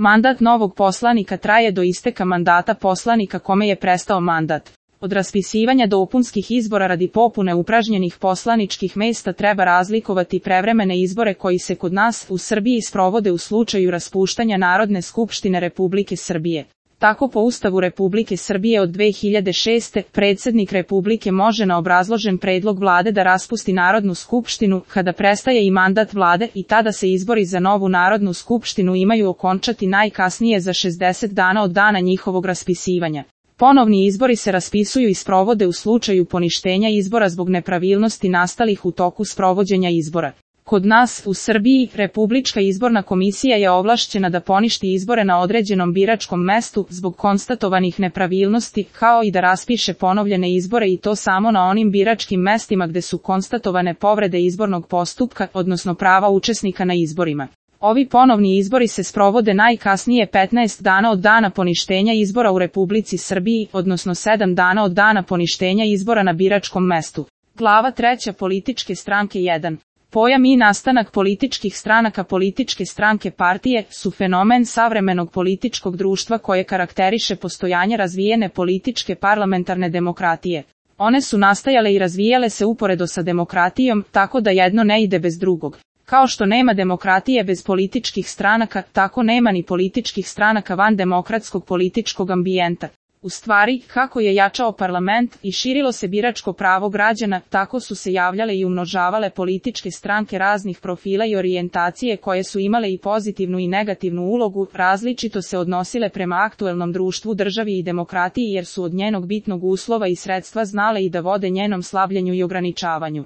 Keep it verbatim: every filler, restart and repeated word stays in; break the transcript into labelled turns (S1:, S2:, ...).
S1: Mandat novog poslanika traje do isteka mandata poslanika kome je prestao mandat. Od raspisivanja dopunskih izbora radi popune upražnjenih poslaničkih mesta treba razlikovati prevremene izbore koji se kod nas u Srbiji sprovode u slučaju raspuštanja Narodne skupštine Republike Srbije. Tako po Ustavu Republike Srbije od dve hiljade šeste. predsjednik Republike može na obrazložen predlog vlade da raspusti Narodnu skupštinu kada prestaje i mandat vlade i tada se izbori za novu Narodnu skupštinu imaju okončati najkasnije za šezdeset dana od dana njihovog raspisivanja. Ponovni izbori se raspisuju i sprovode u slučaju poništenja izbora zbog nepravilnosti nastalih u toku sprovođenja izbora. Kod nas, u Srbiji, Republička izborna komisija je ovlašćena da poništi izbore na određenom biračkom mestu zbog konstatovanih nepravilnosti, kao i da raspiše ponovljene izbore i to samo na onim biračkim mestima gde su konstatovane povrede izbornog postupka, odnosno prava učesnika na izborima. Ovi ponovni izbori se sprovode najkasnije petnaest dana od dana poništenja izbora u Republici Srbiji, odnosno sedam dana od dana poništenja izbora na biračkom mestu. Glava treća Političke stranke jedan. Pojam i nastanak političkih stranaka. Političke stranke partije su fenomen savremenog političkog društva koje karakteriše postojanje razvijene političke parlamentarne demokratije. One su nastajale i razvijale se uporedo sa demokratijom, tako da jedno ne ide bez drugog. Kao što nema demokratije bez političkih stranaka, tako nema ni političkih stranaka van demokratskog političkog ambijenta. U stvari, kako je jačao parlament i širilo se biračko pravo građana, tako su se javljale i umnožavale političke stranke raznih profila i orijentacije koje su imale i pozitivnu i negativnu ulogu, različito se odnosile prema aktuelnom društvu, državi i demokratiji jer su od njenog bitnog uslova i sredstva znale i da vode njenom slabljenju i ograničavanju.